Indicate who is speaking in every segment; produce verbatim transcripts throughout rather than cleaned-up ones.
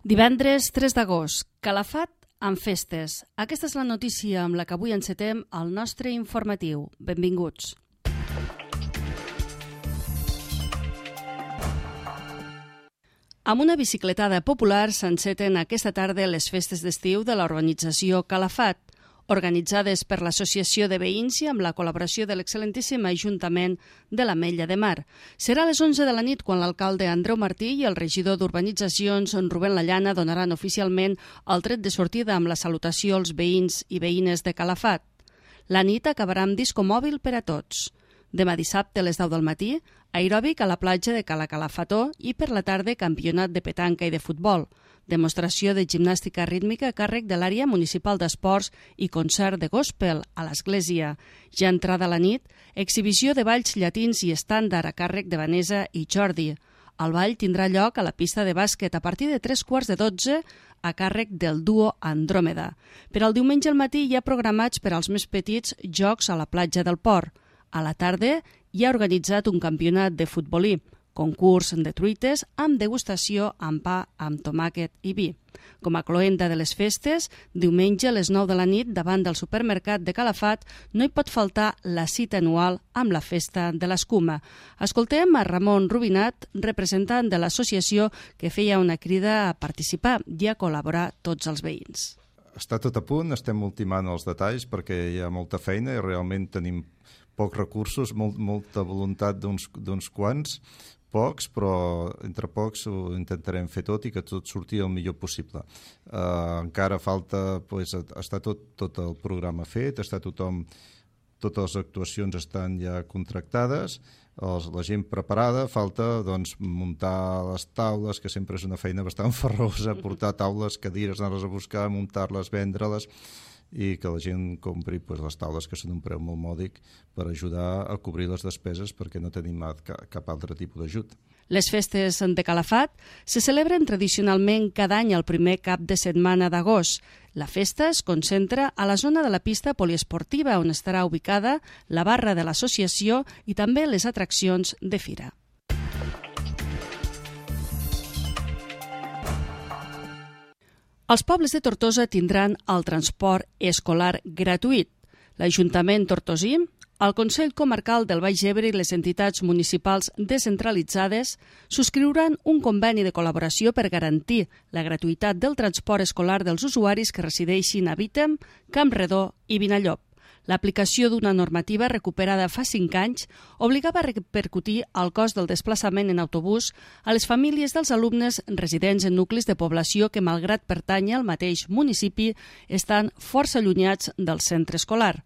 Speaker 1: Divendres tres d'agost, Calafat amb festes. Aquesta és la notícia amb la que avui encetem el nostre informatiu. Benvinguts. Amb una bicicletada popular s'enceten aquesta tarda les festes d'estiu de la urbanització Calafat, organitzades per l'Associació de Veïns i amb la col·laboració de l'excel·lentíssim Ajuntament de l'Ametlla de Mar. Serà a les onze de la nit quan l'alcalde Andreu Martí i el regidor d'Urbanitzacions, Rubén Lallana, donaran oficialment el tret de sortida amb la salutació als veïns i veïnes de Calafat. La nit acabarà amb disco mòbil per a tots. Demà dissabte a les deu del matí, aeròbic a la platja de Cala Calafató i per la tarda campionat de petanca i de futbol, demostració de gimnàstica rítmica a càrrec de l'àrea municipal d'esports i concert de gospel a l'església. Ja entrada la nit, exhibició de balls llatins i estàndard a càrrec de Vanessa i Jordi. El ball tindrà lloc a la pista de bàsquet a partir de tres quarts de dotze a càrrec del duo Andròmeda. Per al diumenge al matí hi ha programats per als més petits jocs a la platja del Port. A la tarda hi ha organitzat un campionat de futbolí, concurs de truites amb degustació amb pa, amb tomàquet i vi. Com a cloenda de les festes, diumenge a les nou de la nit davant del supermercat de Calafat no hi pot faltar la cita anual amb la festa de l'escuma. Escoltem a Ramon Rubinat, representant de l'associació, que feia una crida a participar i a col·laborar tots els veïns.
Speaker 2: Està tot a punt, estem ultimant els detalls perquè hi ha molta feina i realment tenim pocs recursos, molt, molta voluntat d'uns, d'uns quants, pocs, però entre pocs ho intentarem fer tot i que tot surti el millor possible. Uh, encara falta, pues, està tot, tot el programa fet, està tothom, totes les actuacions estan ja contractades, els, la gent preparada, falta doncs, muntar les taules, que sempre és una feina bastant farrosa, portar taules, cadires, anar-les a buscar, muntar-les, vendre-les, i que la gent compri pues, les taules que són un preu molt mòdic per ajudar a cobrir les despeses perquè no tenim cap altre tipus d'ajut.
Speaker 1: Les festes de Calafat se celebren tradicionalment cada any el primer cap de setmana d'agost. La festa es concentra a la zona de la pista poliesportiva on estarà ubicada la barra de l'associació i també les atraccions de fira. Els pobles de Tortosa tindran el transport escolar gratuït. L'Ajuntament tortosí, el Consell Comarcal del Baix Ebre i les entitats municipals descentralitzades subscriuran un conveni de col·laboració per garantir la gratuïtat del transport escolar dels usuaris que resideixin a Vítem, Campredó i Vinallop. L'aplicació d'una normativa recuperada fa cinc anys obligava a repercutir el cost del desplaçament en autobús a les famílies dels alumnes residents en nuclis de població que, malgrat pertànyer al mateix municipi, estan força allunyats del centre escolar.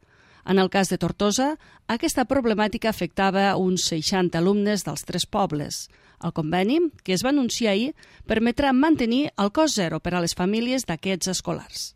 Speaker 1: En el cas de Tortosa, aquesta problemàtica afectava uns seixanta alumnes dels tres pobles. El conveni, que es va anunciar ahir, permetrà mantenir el cost zero per a les famílies d'aquests escolars.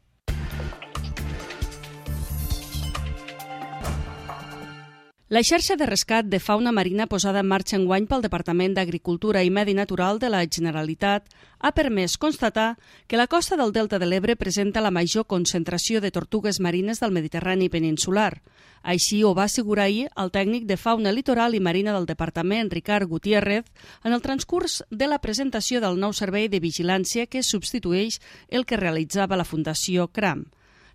Speaker 1: La xarxa de rescat de fauna marina posada en marxa enguany pel Departament d'Agricultura i Medi Natural de la Generalitat ha permès constatar que la costa del Delta de l'Ebre presenta la major concentració de tortugues marines del Mediterrani peninsular. Així ho va assegurar ahir el tècnic de fauna litoral i marina del Departament, Ricard Gutiérrez, en el transcurs de la presentació del nou servei de vigilància que substitueix el que realitzava la Fundació CRAM.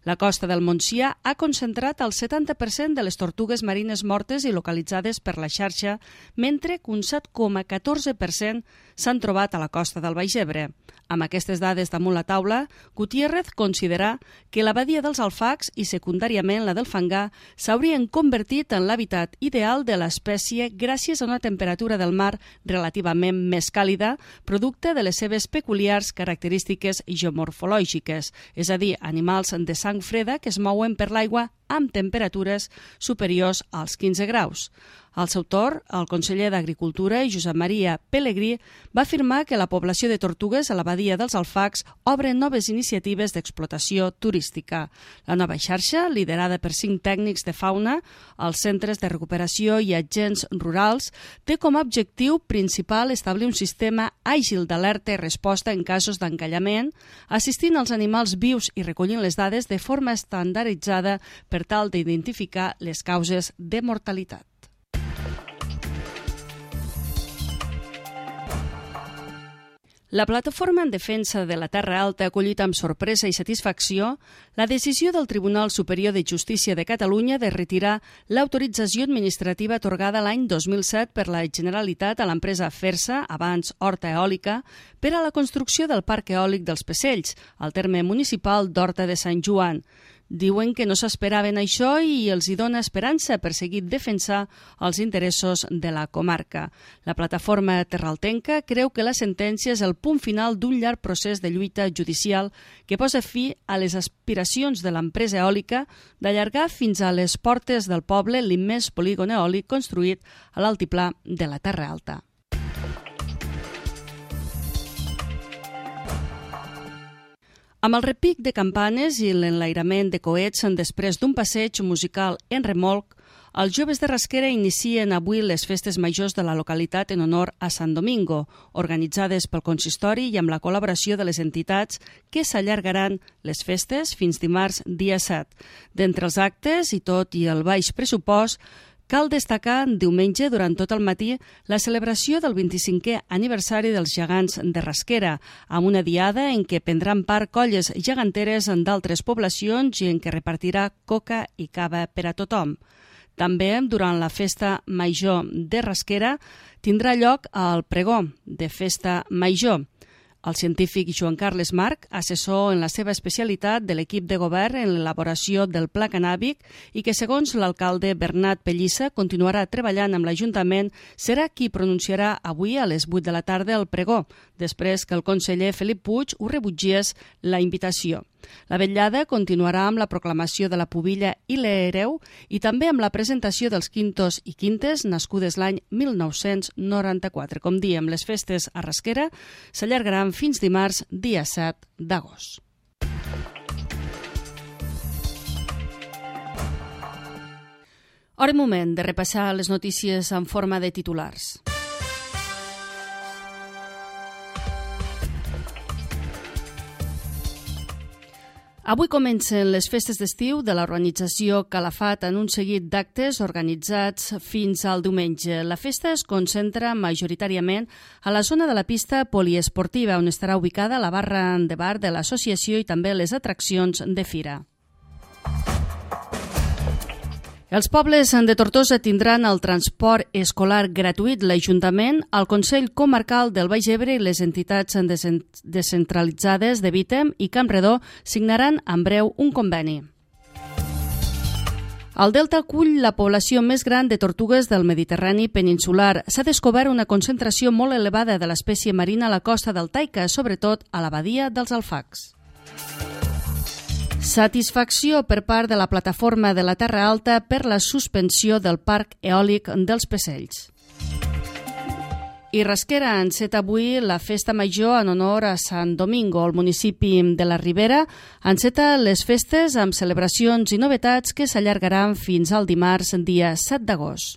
Speaker 1: La costa del Montsià ha concentrat el setanta per cent de les tortugues marines mortes i localitzades per la xarxa, mentre que un set coma catorze per cent s'han trobat a la costa del Baix Ebre. Amb aquestes dades damunt la taula, Gutiérrez considera que la badia dels Alfacs i secundàriament la del Fangar s'haurien convertit en l'hàbitat ideal de l'espècie gràcies a una temperatura del mar relativament més càlida, producte de les seves peculiars característiques geomorfològiques, és a dir, animals de sang freda que es mouen per l'aigua amb temperatures superiors als quinze graus. Al seu torn, el conseller d'Agricultura, Josep Maria Pelegrí, va afirmar que la població de tortugues a la badia dels Alfacs obre noves iniciatives d'explotació turística. La nova xarxa, liderada per cinc tècnics de fauna, els centres de recuperació i agents rurals, té com a objectiu principal establir un sistema àgil d'alerta i resposta en casos d'encallament, assistint als animals vius i recollint les dades de forma estandarditzada per tal d'identificar les causes de mortalitat. La plataforma en defensa de la Terra Alta ha acollit amb sorpresa i satisfacció la decisió del Tribunal Superior de Justícia de Catalunya de retirar l'autorització administrativa atorgada l'any dos mil set per la Generalitat a l'empresa Fersa, abans Horta Eòlica, per a la construcció del Parc Eòlic dels Pesells, al terme municipal d'Horta de Sant Joan. Diuen que no s'esperaven això i els hi dona esperança per seguir defensar els interessos de la comarca. La plataforma terraltenca creu que la sentència és el punt final d'un llarg procés de lluita judicial que posa fi a les aspiracions de l'empresa eòlica d'allargar fins a les portes del poble l'immens polígon eòlic construït a l'altiplà de la Terra Alta. Amb el repic de campanes i l'enlairament de coets després d'un passeig musical en remolc, els joves de Rasquera inicien avui les festes majors de la localitat en honor a Sant Domingo, organitzades pel consistori i amb la col·laboració de les entitats que s'allargaran les festes fins dimarts dia set. D'entre els actes, i tot i el baix pressupost, cal destacar diumenge durant tot el matí la celebració del vint-i-cinquè aniversari dels gegants de Rasquera, amb una diada en què prendran part colles geganteres d'altres poblacions i en què repartirà coca i cava per a tothom. També, durant la festa major de Rasquera, tindrà lloc el pregó de festa major. El científic Joan Carles Marc, assessor en la seva especialitat de l'equip de govern en l'elaboració del pla cannàbic i que, segons l'alcalde Bernat Pellissa, continuarà treballant amb l'Ajuntament, serà qui pronunciarà avui a les vuit de la tarda el pregó, després que el conseller Felip Puig ho rebutgés la invitació. La vetllada continuarà amb la proclamació de la pubilla i l'hereu i també amb la presentació dels quintos i quintes nascudes l'any mil nou-cents noranta-quatre. Com diem, les festes a Rasquera s'allargaran fins dimarts, dia set d'agost. Hora i moment de repassar les notícies en forma de titulars. Avui comencen les festes d'estiu de l'organització Calafat en un seguit d'actes organitzats fins al diumenge. La festa es concentra majoritàriament a la zona de la pista poliesportiva, on estarà ubicada la barra de bar de l'associació i també les atraccions de fira. Els pobles de Tortosa tindran el transport escolar gratuït. L'Ajuntament, el Consell Comarcal del Baix Ebre i les entitats descentralitzades de Vítem i Campredó signaran en breu un conveni. El Delta acull la població més gran de tortugues del Mediterrani peninsular. S'ha descobert una concentració molt elevada de l'espècie marina a la costa del Taica, sobretot a la badia dels Alfacs. Satisfacció per part de la plataforma de la Terra Alta per la suspensió del Parc Eòlic dels Pesells. I Rasquera enceta avui la festa major en honor a Sant Domingo. El municipi de la Ribera enceta les festes amb celebracions i novetats que s'allargaran fins al dimarts, dia set d'agost.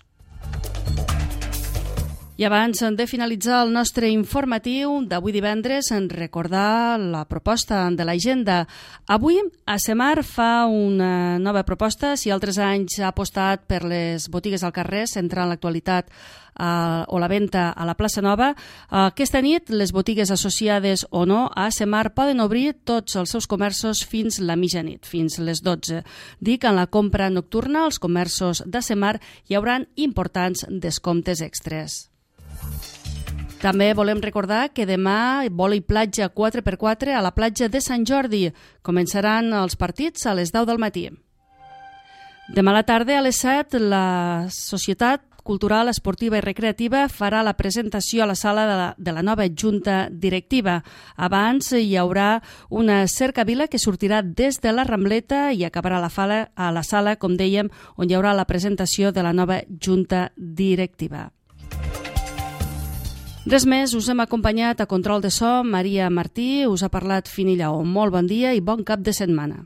Speaker 1: I abans de finalitzar el nostre informatiu d'avui divendres, en recordar la proposta de l'agenda. Avui, ASEMAR fa una nova proposta. Si altres anys ha apostat per les botigues al carrer, centrant l'actualitat eh, o la venda a la plaça Nova, aquesta nit les botigues associades o no a ASEMAR poden obrir tots els seus comerços fins la mitjanit, fins les dotze. Dic, en la compra nocturna, als comerços d'ASEMAR hi haurà importants descomptes extres. També volem recordar que demà vòlei platja quatre per quatre a la platja de Sant Jordi. Començaran els partits a les deu del matí. Demà a la tarda a les set la Societat Cultural, Esportiva i Recreativa farà la presentació a la sala de la, de la nova Junta Directiva. Abans hi haurà una cercavila que sortirà des de la Rambleta i acabarà a la, fala, a la sala, com dèiem, on hi haurà la presentació de la nova Junta Directiva. Res més, us hem acompanyat a Control de So, Maria Martí, us ha parlat Fini Lleó. Molt bon dia i bon cap de setmana.